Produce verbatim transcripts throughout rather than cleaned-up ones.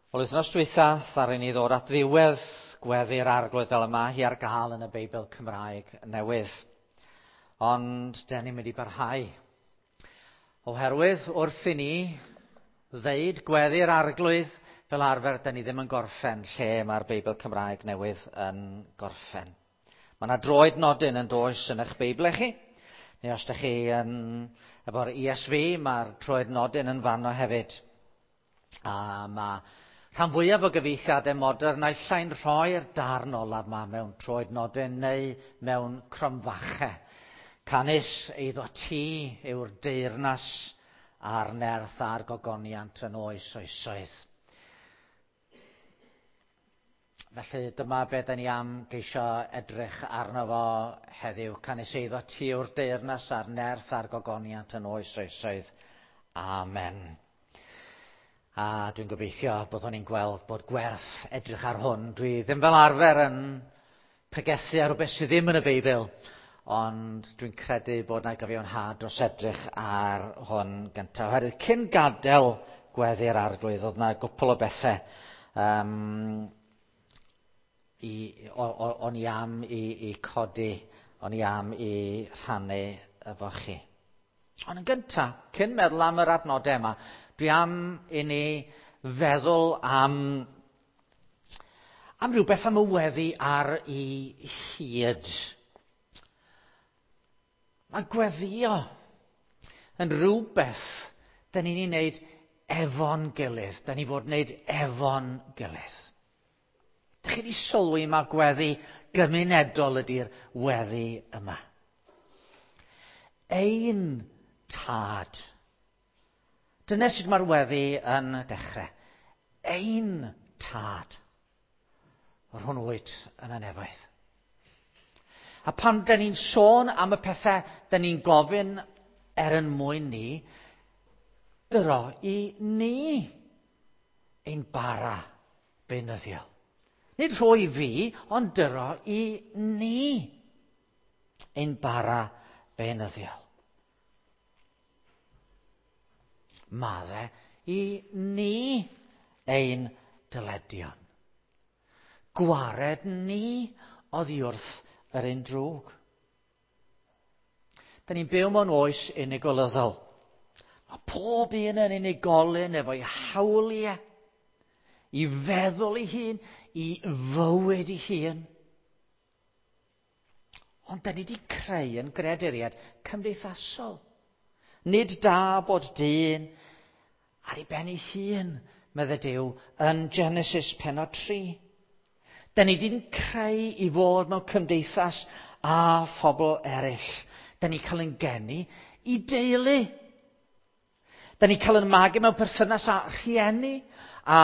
Wel, wythnos dwytha, ddaru ni ddod at ddiwedd gweddi'r Arglwydd fel yma hi ar gael yn y Beibl Cymraeg newydd. Ond den ni'n mynd i barhau. Oherwydd wrth i ni ddeud gweddi'r Arglwydd, fel arfer, den ni ddim yn gorffen lle mae'r Beibl Cymraeg newydd yn gorffen. Mae yna droed nodyn yn does yn eich Beibl chi. Neu os ydych chi yn, efo'r E S V, mae'r troed nodyn yn fanno hefyd. A mae rhan fwyaf o gyfieithiadau modern naill ai'n rhoi'r darn olaf yma mewn troed nodyn neu mewn cromfachau. Canys eiddo ti yw'r deyrnas a'r nerth a'r gogoniant yn oes oesoedd. Felly dyma be da ni am geisio edrych arno fo heddiw. Canys eiddo ti yw'r deyrnas a'r nerth a'r gogoniant yn oes oesoedd. Amen. A dwi'n gobeithio byddwn ni'n gweld bod gwerth edrych ar hwn. Dwi ddim fel arfer yn pregethu ar rhywbeth sydd ddim yn y Beibl, ond dwi'n credu bod yna gyfiawnhad dros edrych ar hwn gyntaf. Oherwydd cyn gadael gweddi'r Arglwydd, oedd yna gwpl o bethau um, i, o, o, o'n i am i, i codi, o'n i am i rhannu efo chi. Ond yn gyntaf, cyn meddwl am yr adnodau yma, dwi am i ni feddwl am, am rhywbeth am y weddi ar ei hyd. Mae gweddio yn rhywbeth da ni'n ei wneud efo'n gilydd, da ni fod wneud efo'n gilydd. Dych chi wedi sylwi mae gweddi gymunedol ydy'r weddi yma. Ein tad. Dyna sut mae'r weddi yn dechrau. Ein tad. Yr hwn wyt yn y nefoedd. A pan da ni'n sôn am y pethau da ni'n gofyn er yn mwyn ni, dyro i ni ein bara beunyddiol. Nid rhoi fi, ond dyro i ni ein bara beunyddiol. Madde i ni ein dyledion. Gwared ni oddi wrth yr un drwg. Da ni'n byw mewn oes unigolyddol. Mae pob un yn unigolyn efo'i hawliau, i feddwl ei hun, i fywyd ei hun. Ond da ni wedi creu yn greaduriaid cymdeithasol. Nid da bod dyn ar ei ben ei hun, meddai Duw, yn Genesis pennod tri. Da ni wedi'n creu i fod mewn cymdeithas â phobl eraill. Da ni cael ein geni i deulu. Da ni cael ein magu mewn perthynas â rhieni, a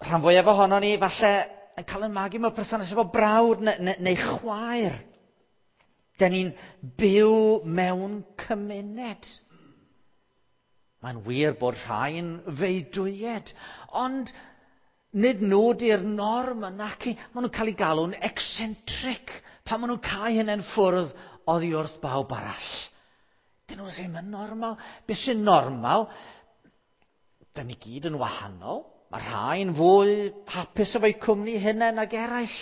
rhan fwyaf ohono ni falle yn cael ein magu mewn perthynas efo brawd neu, neu, neu chwaer. Da ni'n byw mewn cymuned. Mae'n wir bod rhai'n feudwyed, ond nid nhw di'r norm yna. Maen nhw'n cael eu galw'n eccentric pan maen nhw'n cael hynny'n ffwrdd oddi wrth bawb arall. Dyn nhw ddim yn normal. Be sy'n normal? Da ni gyd yn wahanol. Mae rhai'n fwy hapus efo'u cwmni hunain nag eraill.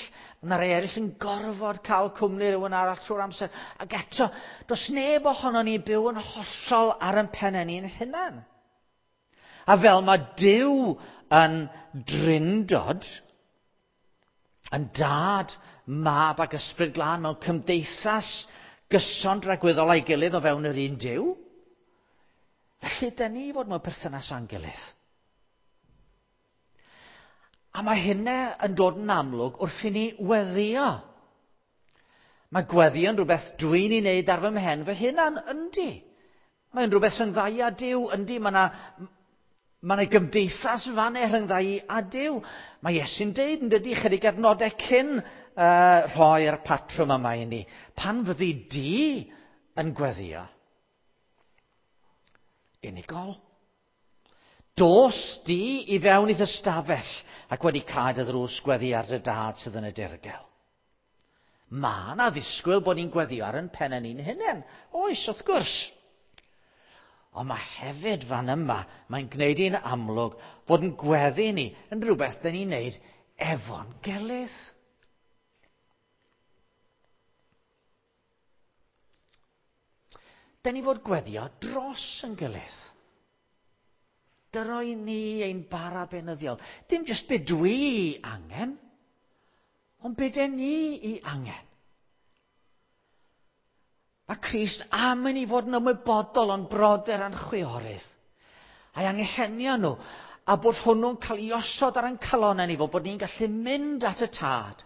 Mae rhai eraill yn gorfod cael cwmni rhywun arall trwy'r amser. Ac eto, does neb ohono ni byw yn hollol ar ein pennau ni'n hunain. A fel mae Duw yn drindod, yn dad, mab ac ysbryd glân mewn cymdeithas gyson dragwyddol a'i gilydd o fewn yr un Duw, felly dyn ni fod mewn perthynas â'n gilydd. A mae hynna yn dod yn amlwg wrth i ni weddio. Mae gweddio yn rhywbeth dwi'n ei wneud ar fy mhen fy hunan, yndi. Mae'n rhywbeth rhyngdda i a Duw, yndi. Mae yna ma na gymdeithas fan e rhyngdda i a Duw. Mae Iesu'n deud yn dydi chydig adnodau cyn uh, rhoi'r patrwm yma i ni. Pan fyddi di yn gweddio, unigol. Dos di i fewn i'th ystafell ac wedi cau dy ddrws gweddi ar dy dad sydd yn y dirgel. Mae yna ddisgwyl bod ni'n gweddio ar ein pennau ni'n hunain. Oes, wrth gwrs. Ond mae hefyd fan yma, mae'n gwneud i'n amlwg fod yn gweddi ni yn rhywbeth dyn ni'n neud efo'n gilydd. Dyn ni fod gweddio dros yn gilydd. Dyroi ni ein bara beunyddiol. Dim jyst be dwi angen, ond be dyn ni i angen. Mae Crist am i ni fod yn ymwybodol o'n brodyr a'n chwiorydd. A'i anghenion nhw, a bod hwnnw'n cael ei osod ar ein calonnau ni, fod bod ni'n gallu mynd at y Tad.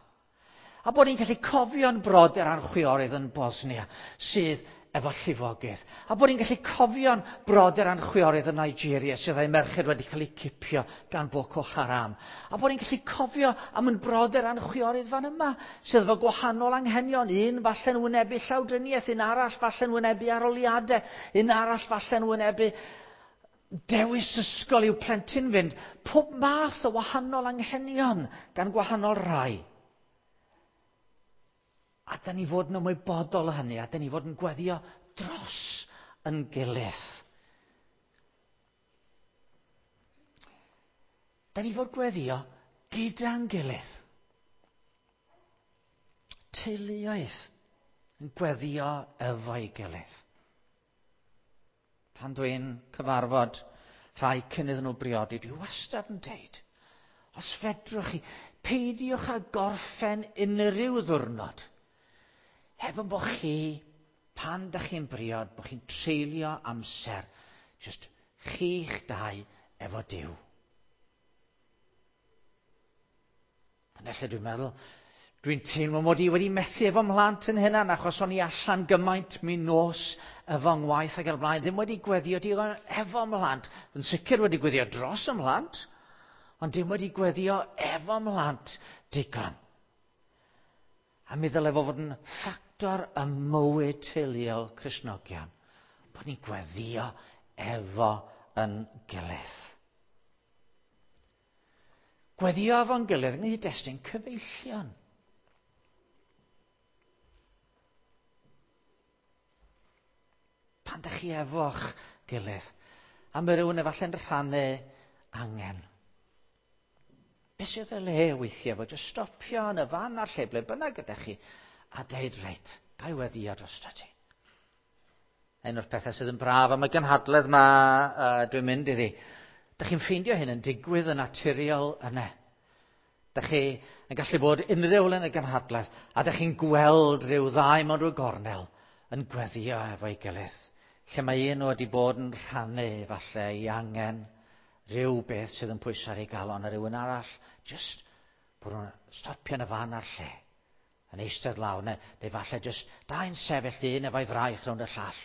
A bod ni'n gallu cofio'n brodyr a'n chwiorydd yn Bosnia, sydd efo llifogydd. A bod ni'n gallu cofio'n brodyr a'n chwiorydd yn Nigeria sydd â'u merched wedi cael eu cipio gan Boko Haram. A bod ni'n gallu cofio am yn brodyr a'n chwiorydd fan yma sydd efo gwahanol anghenion. Un falle'n wynebu llawdriniaeth, un arall falle'n wynebu aroliadau, un arall falle'n wynebu dewis ysgol i'w plentyn fynd. Pob math o wahanol anghenion gan gwahanol rai. A da ni fod yn ymwybodol o hynny, a da ni fod yn gweddio dros yn gilydd. Da ni fod gweddio gyda'n gilydd. Teuluoedd yn gweddio efo'i gilydd. Pan dwi'n cyfarfod rhai cyn iddyn nhw briodi, dwi wastad yn deud, os fedrwch chi, peidiwch â gorffen unrhyw ddiwrnod heb yn bod chi, pan dych chi'n briod, bod chi'n treulio amser, jyst chi'ch dau efo Duw. Dyna lle dwi'n meddwl, dwi'n teimlo mod i wedi methu efo mhlant yn hynna, achos o'n i allan gymaint mi nos efo ngwaith ac ar blaen, ddim wedi gweddio digon efo mhlant, yn sicr wedi gweddio dros y mhlant, ond dim wedi gweddio efo mhlant digon. A mi ddylai fo fod yn ffactor ym mywyd teuluol Cristnogion, bod ni'n gweddio efo yn gilydd. Gweddio efo'n gilydd yng nghyd-destun cyfeillion. Pan dych chi efo'ch gilydd, a mae rhywun efallai'n rhannu angen. Be sydd y le weithiau fod jyst stopio yn y fan a'r lle ble bynnag ydych chi a deud, reit, ga i weddio drosto ti. Un o'r pethau sydd yn braf am y gynhadledd ma uh, dwi'n mynd iddi, dych chi'n ffeindio hyn yn digwydd yn naturiol yna. Dych chi yn gallu bod unrhyw le yn y gynhadledd a dych chi'n gweld rhyw ddau mewn rhyw gornel yn gweddio efo'i gilydd. Lle mae un wedi bod yn rhannu falle i angen rhyw beth sydd yn pwyso ar ei galon a rhywun arall, jyst bod nhw'n stopio yn y fan a'r lle, yn eistedd lawr, neu, neu falle jyst dau'n sefyll un efo'i fraich rownd y llall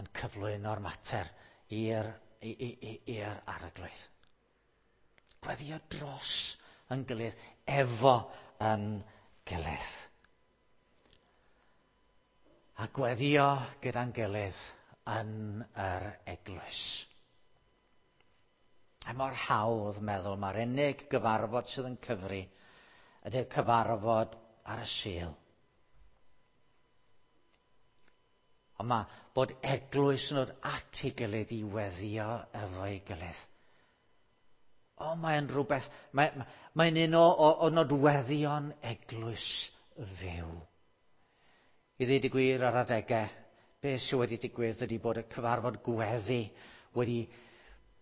yn cyflwyno'r mater i'r i'r arglwydd. Gweddio dros yn gilydd, efo yn gilydd. A gweddio gyda'n gilydd yn yr eglwys. A mor hawdd meddwl mae'r unig gyfarfod sydd yn cyfri ydy'r cyfarfod ar y Sul. Ond mae bod eglwys yn dod at ei gilydd i weddio efo'i gilydd. O, mae'n rhywbeth, mae'n mae un o, o, o nodweddion eglwys fyw. I ddweud y gwir ar adegau, beth sydd wedi digwydd ydy bod y cyfarfod gweddi wedi...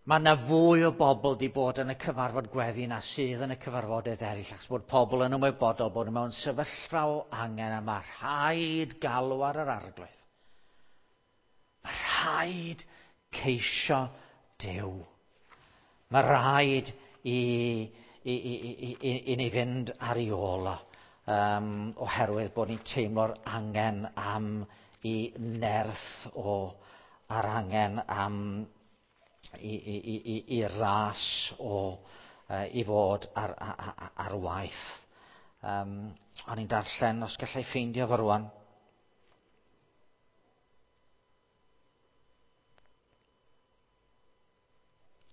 Mae yna fwy o bobl wedi bod yn y cyfarfod gweddi na sydd yn y cyfarfodydd eraill, achos bod pobl yn ymwybodol bod nhw mewn sefyllfa o angen a mae rhaid galw ar yr arglwydd. Mae rhaid ceisio Duw. Mae rhaid i, i, i, i, i, i ni fynd ar ei ôl o, um, oherwydd bod ni'n teimlo'r angen am i nerth o, a'r angen am i, i, i, i, i ras o uh, i fod ar, ar, ar waith. Um, o'n i'n darllen, os gallai ffeindio fo rwan.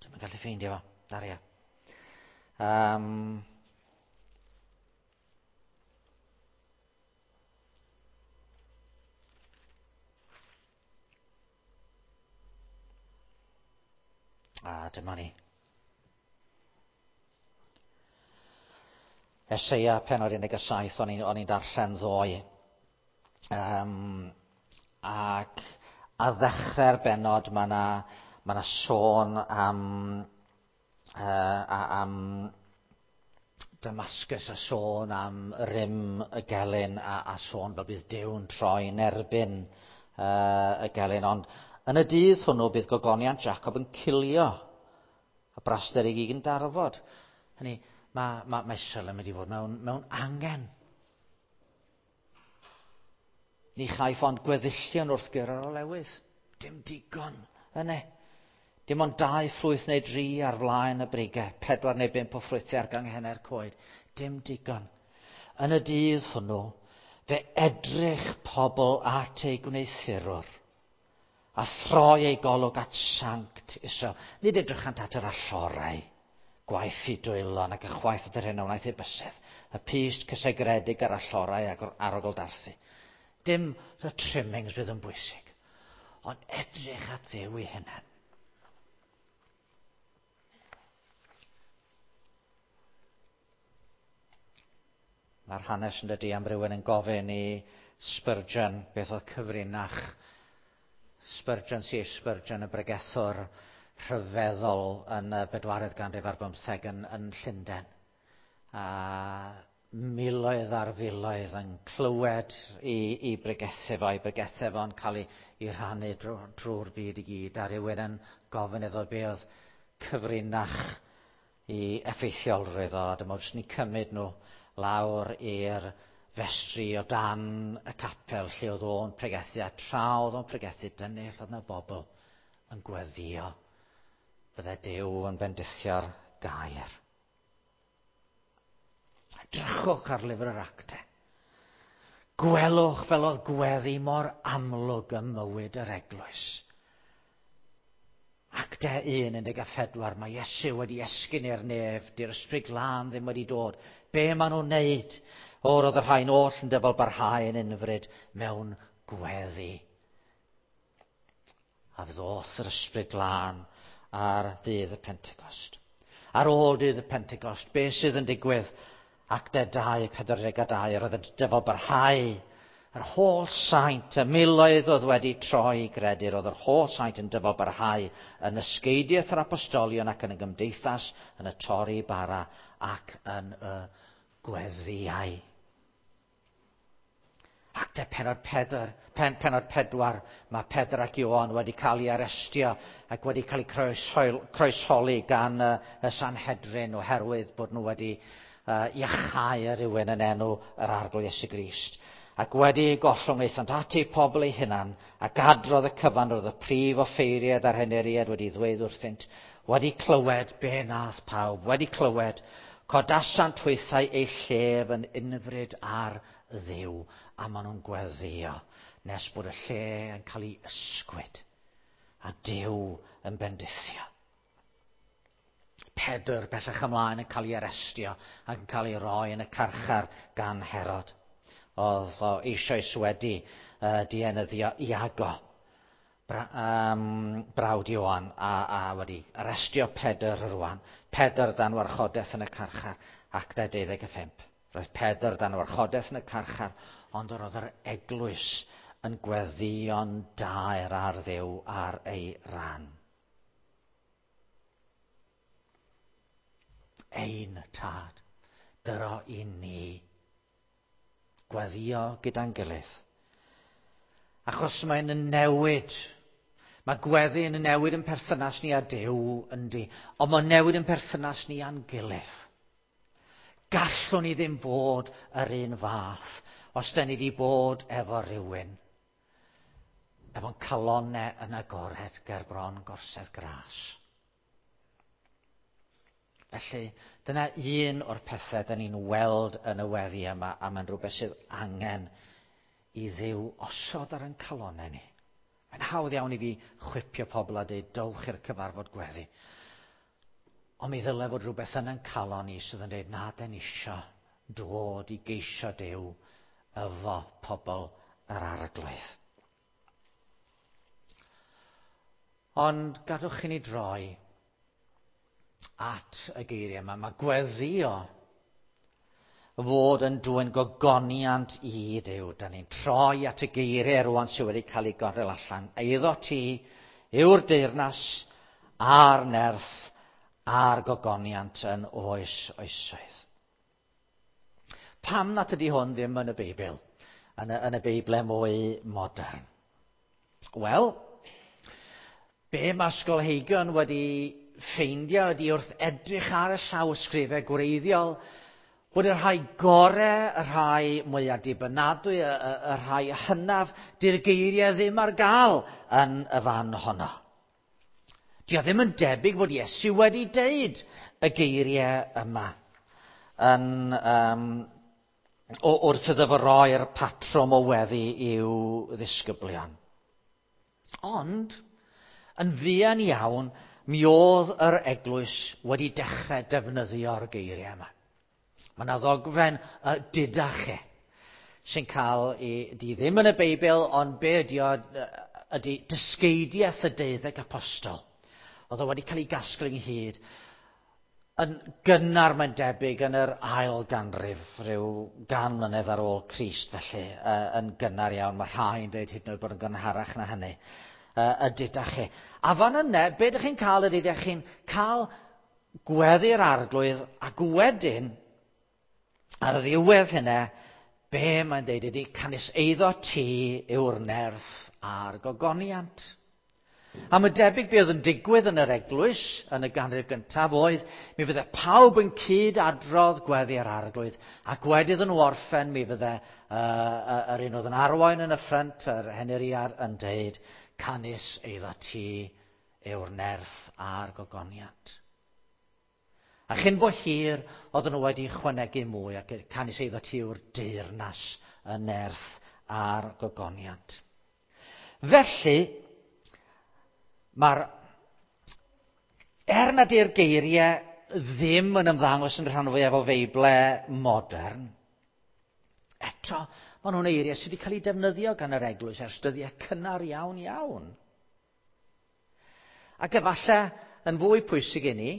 Dwi'm yn gallu ffeindio fo, Daria. Um, A dyma ni. Eseia pennod un deg saith o'n i'n, o'n i'n darllen ddoe. Um, ac a ddechrau'r bennod mae yna ma na sôn am, uh, am Damascus a sôn am rym y gelyn a, a sôn fel bydd Duw'n troi'n erbyn uh, y gelyn. Ond yn y dydd hwnnw bydd gogoniant Jacob yn cilio a braster ei gig yn darfod. Hynny, mae, mae, mae Israel yn mynd i fod mewn, mewn angen. Ni chaiff ond gweddillion wrth gyrra'r olewydd. Dim digon yna. Dim ond dau ffrwyth neu dri ar flaen y brigau, pedwar neu bump o ffrwythau ar ganghennau'r coed. Dim digon. Yn y dydd hwnnw, fe edrych pobl at ei gwneuthurwr a throi ei golwg at Sanct Israel. Nid edrychant at yr allorau, gwaith i dwylon ac ychwaith at yr hyn a wnaeth ei bysedd, y pyst cysegredig ar allorau ac arogl darthu. Dim y trimmings fydd yn bwysig, ond edrych at Dduw ei hunan. Mae'r hanes yn dydi am rywun yn gofyn i Spurgeon beth oedd cyfrinach Spurgeon, C H Spurgeon, y bregethwr rhyfeddol yn y bedwaredd ganrif ar bymtheg yn, yn Llundain. A miloedd ar filoedd yn clywed i, i bregethu fo, i bregethu fo'n cael ei, ei rhannu drwy'r drw byd i gyd. A rhywun yn gofyn iddo be oedd cyfrinach i effeithiolrwydd o. Dyma jyst ni cymryd nhw lawr i'r festri o dan y capel lle oedd o'n pregethu, a tra oedd o'n pregethu, dyna lle oedd yna bobl yn gweddïo. Bydde Duw yn bendithio'r gair. Edrychwch ar lyfr yr Actau. Gwelwch fel oedd gweddi mor amlwg ym mywyd yr eglwys. Actau un, un deg a phedwar, mae Iesu wedi esgyn i'r nef, di'r Ysbryd Glân ddim wedi dod. Be maen nhw'n neud? O, roedd y rhain oll yn dyfal barhau yn unfryd mewn gweddi. A ddoth yr Ysbryd Glân ar ddydd y Pentecost. Ar ôl dydd y Pentecost, be sydd yn digwydd? Actau dau, pedwar deg a dau, roedd y dyfal barhau. Yr holl saint, y miloedd oedd wedi troi i gredu, roedd yr holl saint yn dyfal barhau yn ysgeidiaeth yr apostolion ac yn y gymdeithas, yn y torri bara ac yn y gweddïau. Actau pennod pedwar, pen, pennod pedwar, mae Pedr ac Ioan wedi cael ei arestio ac wedi cael eu croeshol, croesholi gan y, y Sanhedrin oherwydd bod nhw wedi uh, iachau rhywun yn enw yr Arglwydd Iesu Grist. Ac wedi eu gollwng aethant at eu pobl eu hunan, ac adrodd y cyfan roedd y prif offeiriad a'r henuriad wedi ddweud wrthynt, wedi clywed be nath pawb, wedi clywed, codasant hwythau eu llef yn unfryd ar Dduw, a maen nhw'n gweddïo nes bod y lle yn cael ei ysgwyd, a Duw yn bendithio. Pedr bellach ymlaen yn cael ei arestio ac yn cael ei roi yn y carchar gan Herod. Oedd o eisoes wedi uh, dienyddio Iago, bra, um, brawd Ioan, a, a wedi arestio Pedr rwan. Pedr dan warchodaeth yn y carchar, Actau deuddeg a phump. Roedd Pedr dan warchodaeth yn y carchar, ond yr oedd yr eglwys yn gweddïo'n daer ar Dduw ar ei ran. Ein tad, dyro i ni gweddïo gyda'n gilydd. Achos mae'n newid. Mae gweddi yn newid yn perthynas ni â Duw, yndi, ond mae'n newid yn perthynas ni â'n gilydd. Gallwn ni ddim bod yr un fath os da ni wedi bod efo rhywun, efo'n calonnau yn agored ger bron gorsedd gras. Felly, dyna un o'r pethau da ni'n weld yn y weddi yma, a mae'n rhywbeth sydd angen i Dduw osod ar ein calonnau ni. Mae'n hawdd iawn i fi chwipio pobl a dweud, dowch i'r cyfarfod gweddi. Ond mi ddyle fod rhywbeth yn ein calon ni sydd yn dweud, na, den isio dod i geisio Duw efo pobl yr Arglwydd. Ond gadwch i ni droi at y geiriau yma. Mae gweddio fod yn dwyn gogoniant i Duw. Da ni'n troi at y geiriau rwan sydd wedi cael ei gadael allan. Eiddo ti yw'r deyrnas a'r nerth a'r gogoniant yn oes oesoedd. Pam nad ydy hwn ddim yn y Beibl, yn y, yn y Beiblau mwy modern? Wel, be mae ysgolheigion wedi ffeindio ydy wrth edrych ar y llawysgrifau gwreiddiol bod y rhai gorau, y rhai mwyaf dibynadwy, y, y, y rhai hynaf, di'r geiriau ddim ar gael yn y fan honno. Dio ddim yn debyg bod Iesu wedi deud y geiriau yma yn, um, o, wrth iddo fo roi'r patrwm o weddi i'w ddisgyblion. Ond, yn fuan iawn, mi oedd yr eglwys wedi dechrau defnyddio'r geiriau yma. Mae yna ddogfen y Didache sy'n cael ei, di ddim yn y Beibl, ond be ydi o, ydi dysgeidiaeth y deuddeg apostol. Oedd o wedi cael ei gasglu ynghyd yn gynnar, mae'n debyg, yn yr ail ganrif, rhyw gan mlynedd ar ôl Crist, felly, yn gynnar iawn. Mae rhai yn dweud hyd yn oed bod yn gynharach na hynny. Y Didache. A fan yna, be ydych chi'n cael ydy, ydych chi'n cael gweddi'r Arglwydd, ac wedyn, ar ddiwedd hynna, be mae'n deud ydy, canys eiddo ti yw'r nerth a'r gogoniant. A mae debyg be oedd yn digwydd yn yr eglwys yn y ganrif gyntaf oedd, mi fydde pawb yn cyd adrodd gweddi'r Arglwydd, ac wedi iddyn nhw orffen, mi fydde uh, yr un oedd yn arwain yn y ffrynt, yr henuriad, yn deud, canys eiddo ti yw'r nerth a'r gogoniant. A chyn bo hir, oedden nhw wedi chwanegu mwy, ac canys eiddo ti yw'r deyrnas, y nerth a'r gogoniant. Felly, mae'r, er nad yw'r geiriau ddim yn ymddangos yn rhan fwyaf o Feiblau modern, eto, maen nhw'n eiriau sydd wedi cael eu defnyddio gan yr eglwys ers dyddiau cynnar iawn iawn. Ac efallai, yn fwy pwysig i ni,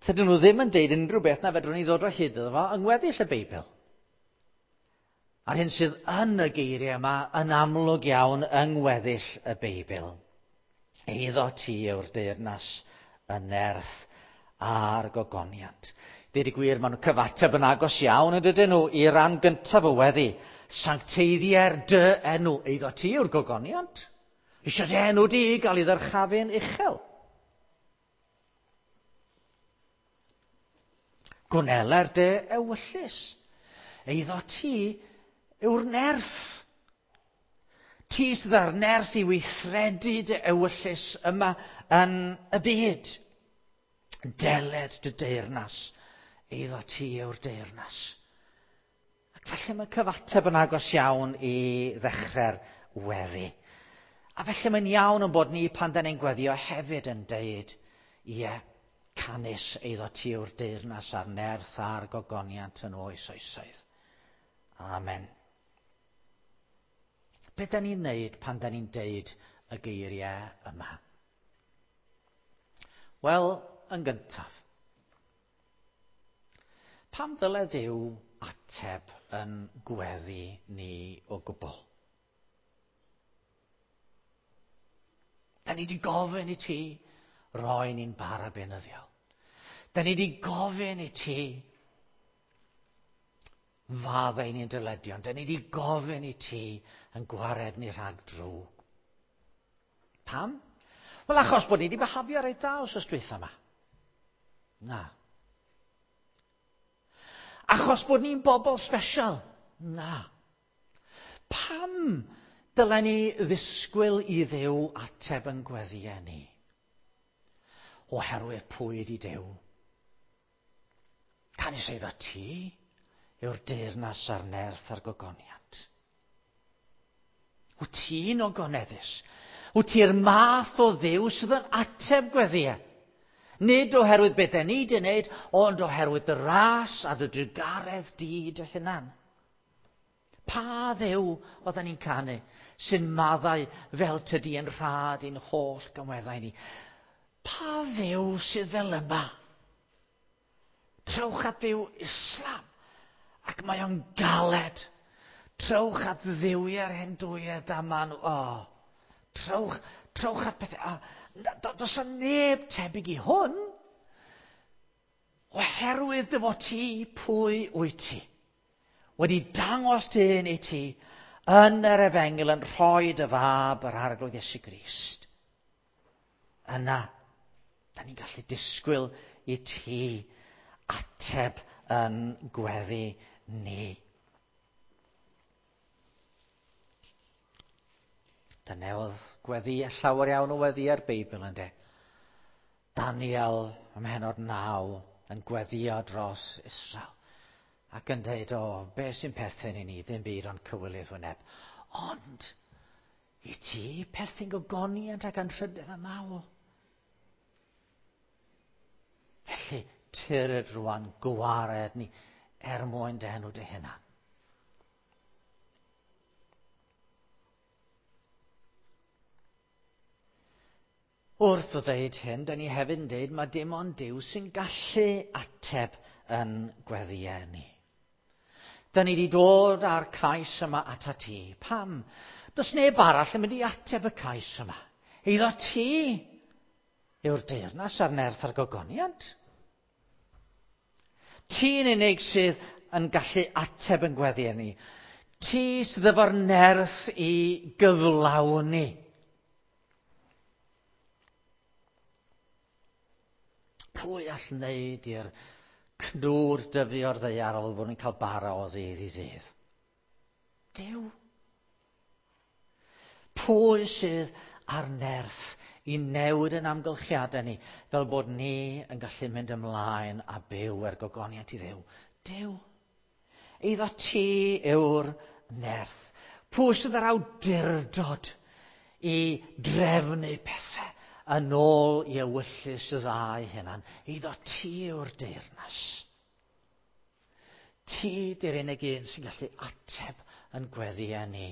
tydyn nhw ddim yn deud unrhyw beth na fedrwn ni ddod o hyd iddo fo yng ngweddill y Beibl. A'r hyn sydd yn y geiriau yma yn amlwg iawn yng ngweddill y Beibl. Eiddo ti yw'r deyrnas, y nerth a'r gogoniant. Deud y gwir, maen nhw cyfateb yn agos iawn yn dydyn nhw i ran gyntaf y weddi. Sancteiddier dy enw. Eiddo ti yw'r gogoniant. Eisiau dy enw di gael ei ddyrchafu'n uchel. Gwneler dy ewyllys. Eiddo ti yw'r nerth. Ti sydd â'r nerth i weithredu dy ewyllys yma yn y byd. Deled dy deyrnas. Eiddo ti yw'r deyrnas. Ac felly mae cyfateb yn agos iawn i ddechrau'r weddi. A felly mae'n iawn yn bod ni pan da ni'n gweddio hefyd yn deud, ie, canys eiddo ti yw'r deyrnas a'r nerth a'r gogoniant yn oes oesoedd. Amen. Be da ni'n neud pan da ni'n deud y geiriau yma? Wel, yn gyntaf, pam ddyle Dduw ateb yn gweddi ni o gwbl? Da ni wedi gofyn i ti roi ni'n bara beunyddiol. Da ni wedi gofyn i ti faddau ni'n dyledion. Da ni wedi gofyn i ti yn gwared ni rhag drwg. Pam? Wel, achos bod ni wedi byhafio reit dda wsos dwytha yma. Na. Achos bod ni'n bobl special. Na. Pam dylen ni ddisgwyl i Dduw ateb yn gweddïau ni? Oherwydd pwy ydi Duw? Canys eiddo ti yw'r deyrnas a'r nerth a'r gogoniant. Wyt ti'n ogoneddus? Wyt ti'r math o Dduw sydd yn ateb gweddïau? Nid oherwydd beth ni wedi wneud, ond oherwydd dy ras a dy drugaredd di dy hunan. Pa Dduw oedden ni'n canu sy'n maddau fel tydi yn rhad i'n holl gymweddau ni? Pa Dduw sydd fel yma? Trowch at ddiw Islam, ac mae o'n galed. Trowch at ddiwiau'r Hindwiaid a maen nhw, oh, trowch, trowch at pethau. Oh, does yna neb tebyg i hwn, oherwydd dy fod ti pwy wyt ti. Wedi dangos dyn i ti yn yr efengyl yn rhoi dy fab yr Arglwydd Iesu Grist. Yna, da ni'n gallu disgwyl i ti ateb yn gweddi ni. Dyna oedd gweddi, llawer iawn o weddi ar Beibl ynddo. Daniel ym mhennod naw yn gweddio dros Israel. Ac yn dweud, o, be sy'n perthyn i ni, ddim byd ond cywilydd wyneb. Ond, i ti perthyn gogoniant ac anrhydedd a mawl. Felly, tyrd rwan, gwared ni, er mwyn dy enw dy hunan. Wrth o ddeud hyn, da ni hefyd yn deud mae dim ond Duw sy'n gallu ateb yn gweddïau ni. Da ni wedi dod â'r cais yma ata ti. Pam? Does neb arall yn mynd i ateb y cais yma. Eiddo ti yw'r deyrnas a'r nerth a'r gogoniant. Ti'n unig sydd yn gallu ateb yn gweddïau ni. Ti sydd efo'r nerth i gyflawni. Pwy all wneud i'r cnwd dyfu o'r ddaear fel bod ni'n cael bara o ddydd i ddydd? Duw. Pwy sydd ar nerth i newid yn amgylchiadau ni fel bod ni yn gallu mynd ymlaen a byw er gogoniant i Dduw? Duw. Eiddo ti yw'r nerth. Pwy sydd ar awdurdod i drefnu pethau yn ôl i ewyllys y ddau hunan? Eiddo ti yw'r deyrnas. Ti di'r unig un sy'n gallu ateb yn gweddïau ni.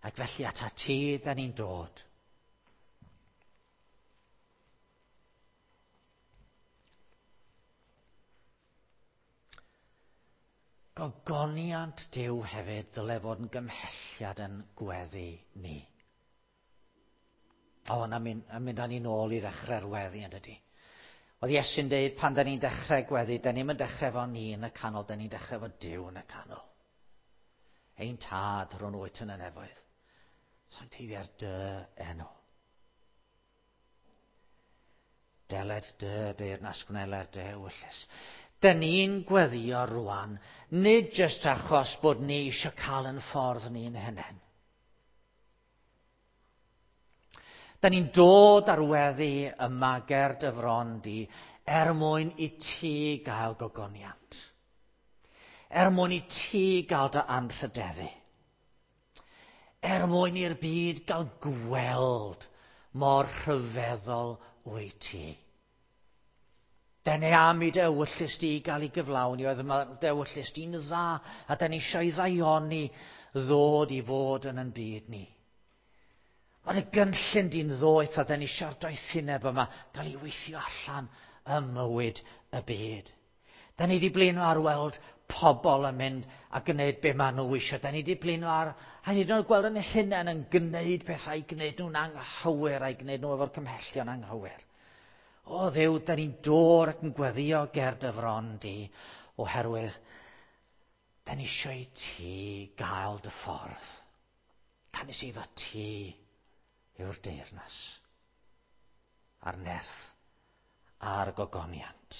Ac felly ata ti da ni'n dod. Gogoniant Duw hefyd ddyle fod yn gymhelliad yn gweddi ni. O, na mynd, a mynd â ni nôl i ddechrau'r weddi yn dydi. Oedd Iesu'n deud pan da ni'n dechrau gweddi, da ni'n dechrau efo ni yn y canol, da ni'n dechrau efo Duw yn y canol. Ein tad rhwng wyt yn y nefoedd. Sancteiddia'r dy enw. Deled dy deyrnas gwneler dy ewyllys. Da ni'n gweddio rwan, nid jyst achos bod ni eisiau cael yn ffordd ni'n hunain. Da ni'n dod ar weddi yma ger dy fron di er mwyn i ti gael gogoniant. Er mwyn i ti gael dy anrhydeddu. Er mwyn i'r byd gael gweld mor rhyfeddol wyt ti. Da ni am i dy ewyllys di gael ei gyflawni, oedd dy ewyllys di'n dda, a da ni eisiau ddaioni ddod i fod yn yn byd ni. Mae y gynllun di'n ddoeth a da ni eisiau'r doethineb yma gael ei weithio allan ym mywyd y byd. Da ni wedi blino ar weld pobl yn mynd a gwneud be maen nhw eisiau. Da ni wedi blino ar, a hyd yn oed gweld yn hunain yn gwneud pethau i gwneud nhw'n anghywir a'i gwneud nhw efo'r cymhellion anghywir. O Dduw, da ni'n dod ac yn gweddio ger dy fron di, oherwydd da ni eisiau i ti gael dy ffordd. Canys iddo ti yw'r deyrnas, a'r nerth, a'r gogoniant.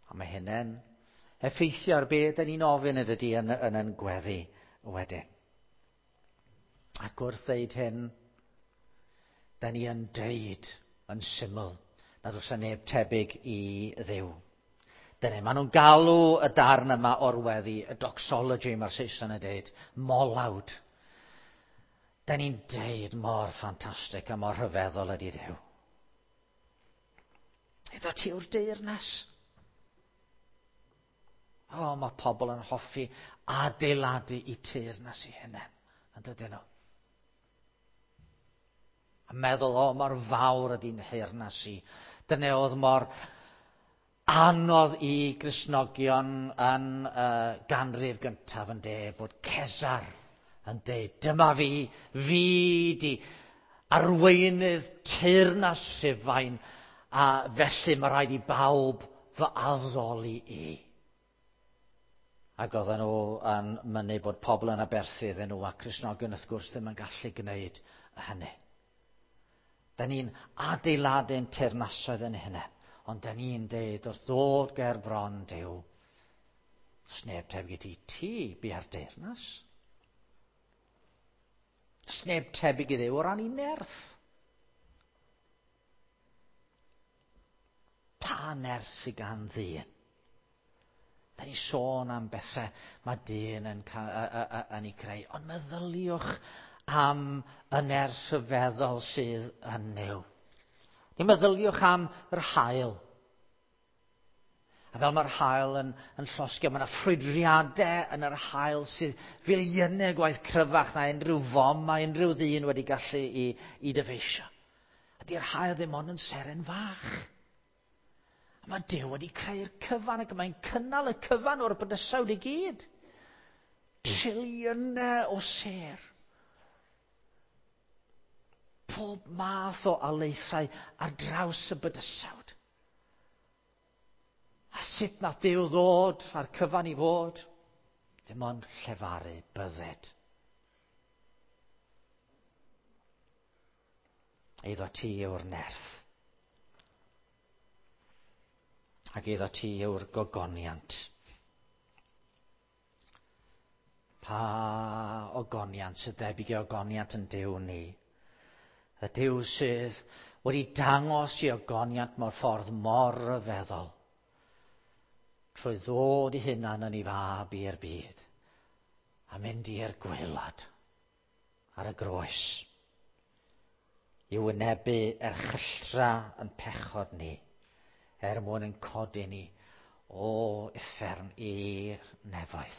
A mae hynny'n effeithio ar be da ni'n ofyn yn dydi yn, yn, yn gweddi wedyn. Ac wrth ddeud hyn, da ni yn deud yn syml nad oes neb tebyg i Dduw. Dyna, maen nhw'n galw y darn yma o'r weddi, y doxology mae'r Saeson yn deud, molawd. Da ni'n deud mor ffantastig a mor rhyfeddol ydy Dduw. Iddo ti yw'r deyrnas. O, mae pobl yn hoffi adeiladu i teyrnas i hunain, yn dydyn nhw. A meddwl, o, mor fawr ydy'n nheyrnas i. Dyna oedd mor Anodd i Gristnogion yn uh, ganrif gyntaf yn de, bod Cesar yn deud, dyma fi, fi di arweinydd teyrnas Rufain, a felly mae rhaid i bawb fy addoli i. Ac oedden nhw yn mynnu bod pobl yn aberthu iddyn nhw, a Cristnogion wrth gwrs ddim yn gallu gwneud hynny. Da ni'n adeiladu'n teyrnasoedd yn hynny, ond da ni'n deud wrth ddod ger bron Duw, sneb tebyg i ti, ti bia'r deyrnas. Sneb tebyg i Dduw o ran ei nerth. Pa nerth sydd gan ddyn? Da ni sôn am bethau mae dyn yn, yn ei creu, ond meddyliwch am y nerth rhyfeddol sydd yn Nuw. Ni meddyliwch am yr haul. A fel mae'r haul yn, yn llosgio, mae yna ffrwydriadau yn yr haul sydd filiynau gwaith cryfach na unrhyw fom mae unrhyw ddyn wedi gallu i, i dyfeisio. A di'r haul ddim ond yn seren fach. A mae Duw wedi creu'r cyfan ac mae'n cynnal y cyfan o'r bydysawd i gyd. Triliynau o sêr. Pob math o alaethau ar draws y bydysawd. A sut nath Duw ddod a'r cyfan i fod? Dim ond llefaru bydded. Eiddo ti yw'r nerth. Ac eiddo ti yw'r gogoniant. Pa ogoniant sydd debyg i ogoniant yn Duw ni? Y Duw sydd wedi dangos i ogoniant mewn ffordd mor ryfeddol trwy ddod i hunan yn ei fab i'r byd a mynd i'r gwaelod ar y groes i wynebu erchylltra yn pechod ni er mwyn yn codi ni o uffern i'r nefoedd.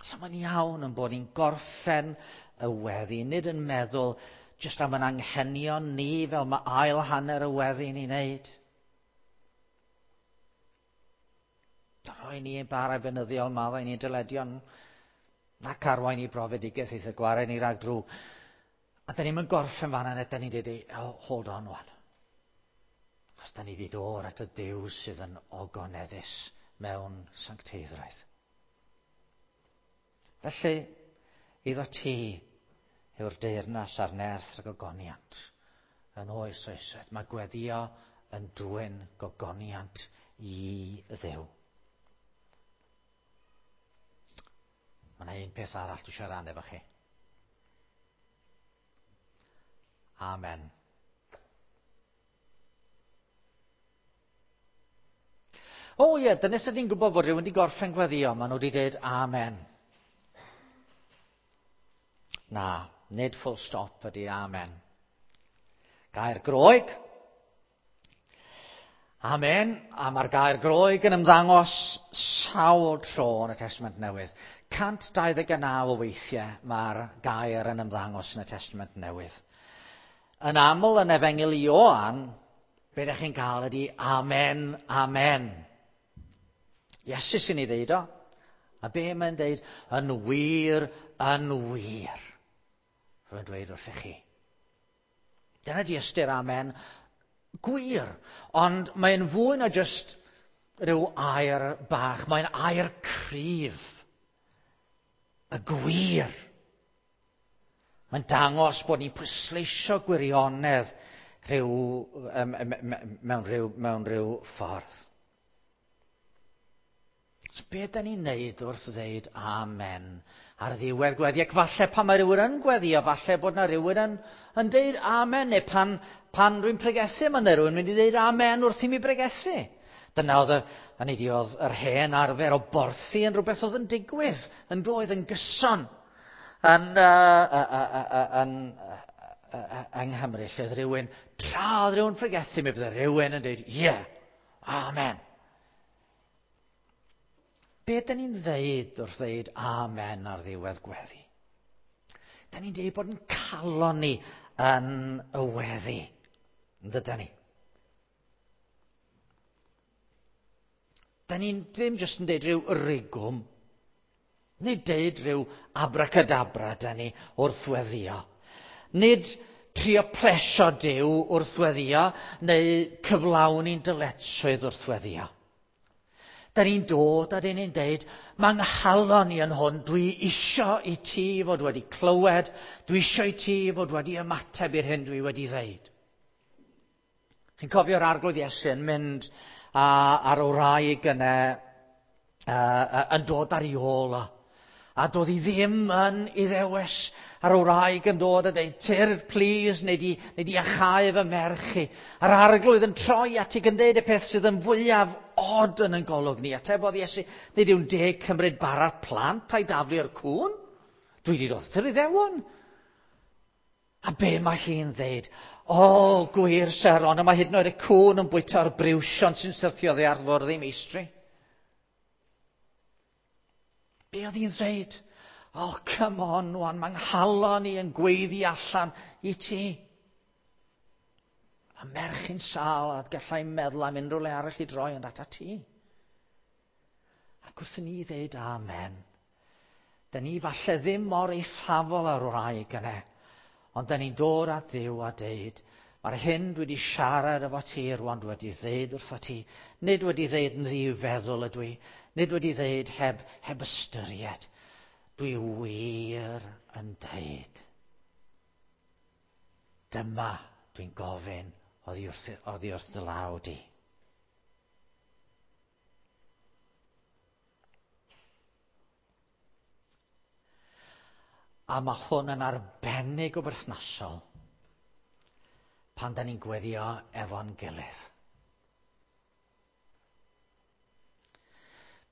So mae'n iawn yn bod ni'n gorffen y weddi, nid yn meddwl jyst am yn anghenion ni fel mae ail hanner y weddi ni'n neud. Rhoi ni ein bara beunyddiol, maddau ni'n dyledion, nac arwain i brofedigaeth eitha gwared ni rhag drwg. A da ni'n gorffen fan'na, da ni'n dweud, oh, hold on wan. Achos da ni wedi dod at y Duw sydd yn ogoneddus mewn sancteiddrwydd. Felly, iddo ti yw'r deyrnas a'r nerth rhag ogoniant yn oes oesoedd. Mae gweddio yn dwyn gogoniant i Dduw. Mae yna un peth arall dwi eisiau rannu efo chi. Amen. O ie, dyna sut ni'n gwybod bod rhywun wedi gorffen gweddio, maen nhw wedi dweud amen. Na, nid full stop ydy amen. Gair Groeg. Amen. A mae'r gair Groeg yn ymddangos sawl tro yn y Testament Newydd. cant dau ddeg naw o weithiau mae'r gair yn ymddangos yn y Testament Newydd. Yn aml yn Efengyl Ioan, be ydych chi'n cael ydy amen, amen. Iesu sy'n ei ddeud o. A be mae'n deud? Yn wir, yn wir. Rwy'n dweud wrthych chi. Dyna di ystyr amen. Gwir. Ond mae'n fwy na just rhyw air bach. Mae'n air cryf. Y gwir. Mae'n dangos bod ni'n pwysleisio gwirionedd rhyw, um, mewn, rhyw, mewn rhyw ffordd. So be da ni'n neud wrth ddeud amen ar ddiwedd gweddi? Ac falle pan mae rhywun yn gweddio, falle bod na rhywun yn, yn deud amen, neu pan, pan rwy'n pregethu, mae yna rhywun mynd i ddeud amen wrth i mi bregethu. Dyna oedd, y, hynny ydi, oedd yr hen arfer o borthi yn rhywbeth oedd yn digwydd, yn doedd yn gyson yn, uh, uh, uh, uh, yn, uh, uh, yng Nghymru, lle oedd rhywun, tra oedd rhywun pregethu, mi fydde rhywun yn dweud, ie, yeah, amen. Be dyn ni'n ddeud wrth ddeud amen ar ddiwedd gweddi? Dyn ni'n dweud bod yn calon ni yn y weddi, yn dydyn ni? Da ni'n ddim jyst yn deud rhyw rigwm, nid deud rhyw abracadabra da ni wrth weddio. Nid trio plesio Duw wrth weddio, neu cyflawni'n dyletswydd wrth weddio. Da ni'n dod a da ni'n deud, mae 'nghalon i yn hwn, dwi isio i ti fod wedi clywed, dwi isio i ti fod wedi ymateb i'r hyn dwi wedi ddeud. Chi'n cofio'r Arglwydd Iesu yn mynd a, ar wraig yna, uh, yn dod ar ei ôl o. A doedd hi ddim yn Iddewes, a'r wraig yn dod a dweud, tyrd, please, neu di, neu di iacháu fy merch i. A'r Arglwydd yn troi at i yn deud y peth sydd yn fwyaf od yn ein golwg ni. Atebodd Iesu, nid yw'n deg cymryd bara'r plant a'i daflu i'r cŵn. Dwi wedi dod yr Iddewon. A be mae hi'n dweud? O, gwir syr, ond mae hyd yn oed y cŵn yn bwyta'r briwsion sy'n syrthio oddi ar fwrdd ei meistri. Be oedd hi'n dweud? Oh, come on, wan, mae 'nghalon i yn gweiddi allan i ti. A merch i'n sâl, a gallai meddwl am unrhyw le arall i droi ond ata ti. Ac wrth i ni ddeud amen, da ni falle ddim mor eithafol ar wraig yna, ond da ni'n dod at Dduw a deud, mae'r hyn dwi wedi siarad efo ti rwan, dwi wedi ddeud wrtho ti, nid wedi ddeud yn ddi-feddwl ydw i, nid wedi ddeud heb, heb ystyried. Dwi wir yn deud. Dyma dwi'n gofyn oddi wrth, oddi wrth dy law di. A mae hwn yn arbennig o berthnasol pan da ni'n gweddio efo'n gilydd.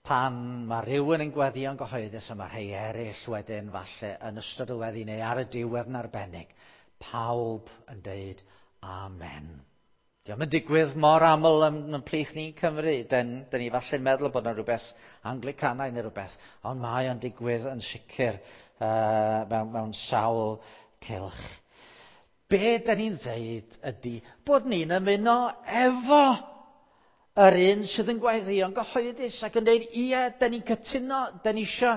Pan mae rhywun yn gweddio'n gyhoeddus a mae rhai eraill wedyn falle yn ystod y weddi neu ar y diwedd yn arbennig, pawb yn deud amen. Dio'm yn digwydd mor aml yn, yn plith ni'n Cymru. Dyn, dyn ni falle'n meddwl bod yna rhywbeth Anglicanaidd neu rhywbeth, ond mae o'n digwydd yn sicr uh, mewn, mewn sawl cylch. Be da ni'n ddeud ydy bod ni'n ymuno efo yr un sydd yn gweddio'n gyhoeddus ac yn dweud, ie, da ni'n cytuno, da ni isio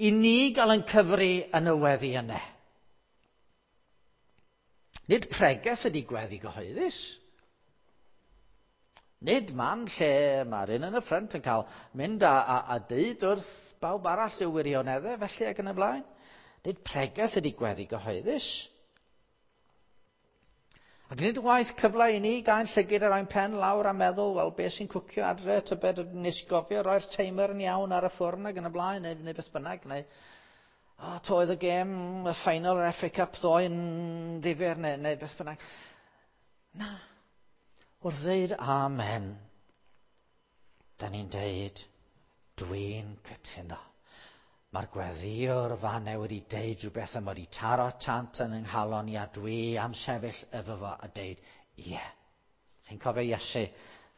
i ni gael yn cyfri yn y weddi yna. Nid pregeth ydy gweddi gyhoeddus. Nid man lle mae'r un yn y ffrynt yn cael mynd a, a, a deud wrth bawb arall yw wirioneddau, felly ac yn y blaen. Nid pregeth ydy gweddi gyhoeddus. Ac nid waith cyfle i ni gael llygid ar ein pen lawr a meddwl, wel, beth sy'n cwcio adre, tybed nes i gofio roi'r timer yn iawn ar y ffwrn ac yn y blaen, neu, neu beth bynnag, neu o, oh, oedd y gêm, y final yr F A Cup ddoe yn ddifyr, neu, neu beth bynnag. Na. Wrth ddeud amen, da ni'n deud, dwi'n cytuno. Mae'r gweddiwr fanne wedi deud rhywbeth am wedi taro tant yn yng nghalon i a dwi am sefyll efo fo a deud, ie. Yeah. Chi'n cofio Iesu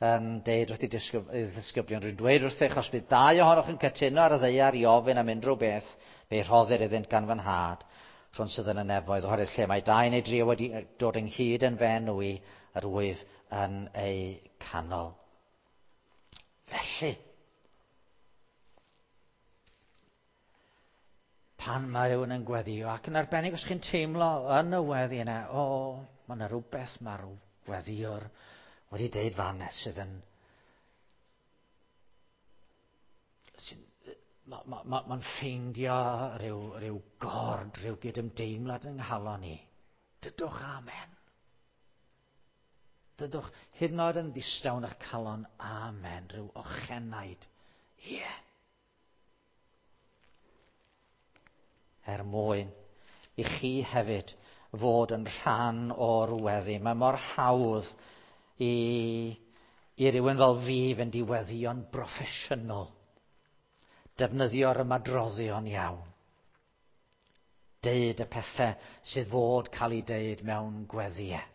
yn deud wrth ei ddisgyblion, rwy'n dweud wrthych, os bydd dau ohonoch yn cytuno ar y ddaear i ofyn am unrhyw beth, fe rhoddir iddynt gan fy nhad, rhwng sydd yn y nefoedd, oherwydd lle mae dau neu dri wedi dod ynghyd yn fy enw i, yr wyf yn eu canol. Felly, pan mae rhywun yn gweddio, ac yn arbennig os chi'n teimlo yn y weddi yna, o, mae yna rhywbeth mae'r gweddiwr wedi deud fan sydd yn... sy'n Mae'n ma, ma, ma ffeindio rhyw, rhyw gord, rhyw gydymdeimlad yng nghalon ni. Dydwch amen. Dydwch hyd yn oed yn ddistaw yn eich calon, amen, rhyw ochenaid. Ie. Yeah. Er mwyn i chi hefyd fod yn rhan o'r weddi. Mae mor hawdd i, i rywun fel fi fynd i weddio'n broffesiynol. Defnyddio'r ymadroddion iawn. Deud y pethau sydd fod cael ei deud mewn gweddïau.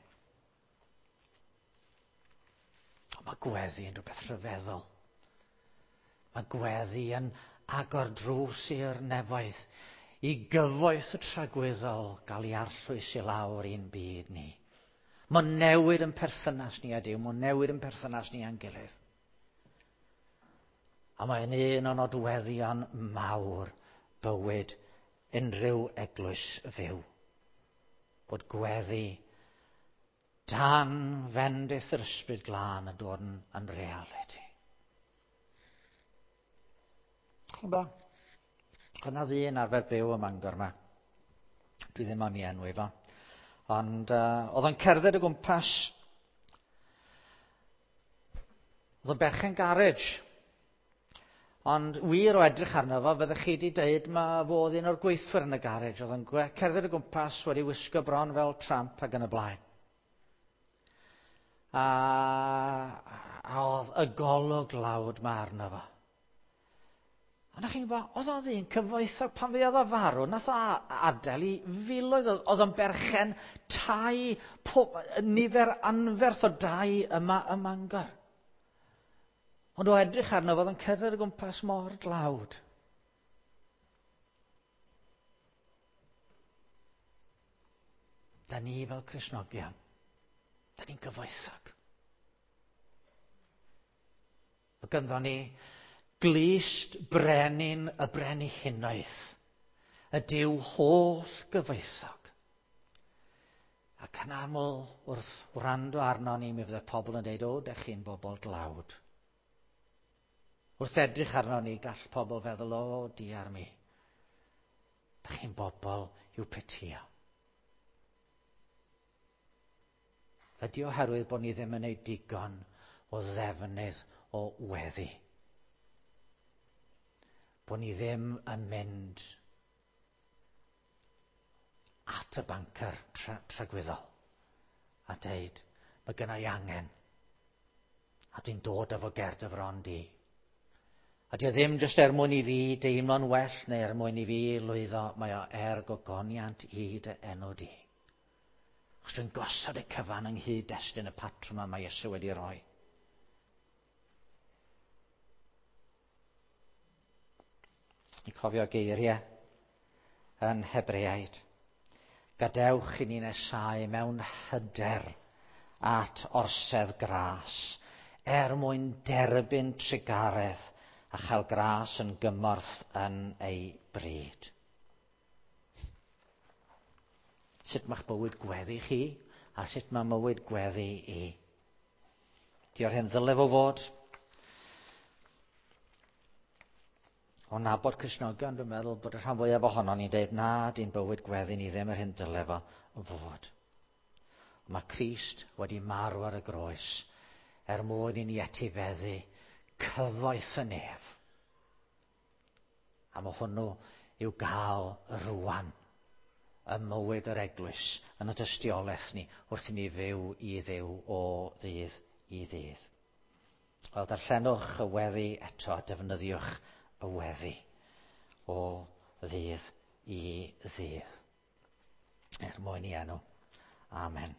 Ond mae gweddi yn rhywbeth rhyfeddol. Mae gweddi yn agor drws i'r nefoedd, i gyfoeth y tragwyddol gael ei arllwys i lawr i'n byd ni. Mae'n newid yn perthynas ni a Duw, mae'n newid yn perthynas ni a'n gilydd. A mae'n un o nodweddion mawr bywyd unrhyw eglwys fyw. Bod gweddi dan fendith yr Ysbryd Glân yn dod yn, yn realiti. Chi'n bo? Yna ddyn arfer byw ym Mangor yma. Dwi ddim am ei enwi fo. Ond uh, oedd o'n cerdded o gwmpas. Oedd o'n berchen garej. Ond wir o edrych arno fo, fyddech chi wedi dweud ma fo oedd un o'r gweithwyr yn y garej. Oedd o'n cerdded o gwmpas wedi wisgo bron fel tramp ac yn y blaen. A, a oedd y golwg lawd ma arno fo. A na chi'n gwybod, oedd o'n ddyn cyfoethog pan fi oedd o farw, nath o adael i filoedd, oedd o'n berchen tai, pob, nifer anferth o dai yma ym Mangor. Ond o edrych arno fo, oedd o'n cerdded o gwmpas mor dlawd. Da ni fel Cristnogion, da ni'n gyfoethog. Mae gynddon ni glust brenin y brenhinoedd, y Duw holl gyfoethog. Ac yn aml wrth wrando arno ni, mi fydde pobl yn dweud, o, dych chi'n bobl dlawd. Wrth edrych arno ni, gall pobl feddwl, o, diar mi. Dych chi'n bobl i'w petio. Ydy oherwydd bod ni ddim yn gwneud digon o ddefnydd o weddi. Bod ni ddim yn mynd at y bancer tra tragwyddol a deud, mae gynna i angen a dwi'n dod efo ger dy fron di. A di o ddim jyst er mwyn i fi deimlo'n well neu er mwyn i fi lwyddo, mae o er gogoniant i dy enw di. Achos dwi'n gosod y cyfan yng nghyd-destun y patrwm yma mae Iesu wedi roi. Ni'n cofio geiriau yn Hebreaid. Gadewch i ni nesau mewn hyder at orsedd gras, er mwyn derbyn trugaredd a chael gras yn gymorth yn ei bryd. Sut mae'ch bywyd gweddi chi a sut mae mywyd gweddi i? Dio'r hyn ddyle fo fod? O nabod Cristnogion, dwi'n meddwl bod y rhan fwyaf ohono ni'n dweud, na, di'n bywyd gweddi ni ddim yr hyn dyle fo fod. Mae Crist wedi marw ar y groes er mwyn i ni etifeddu cyfoeth y nef. A mae hwnnw i'w gael rwan ym mywyd yr eglwys, yn y dystiolaeth ni, wrth i ni fyw i Dduw o ddydd i ddydd. Wel, darllenwch y weddi eto a defnyddiwch y weddi o ddydd i ddydd. Er mwyn i enw. Amen.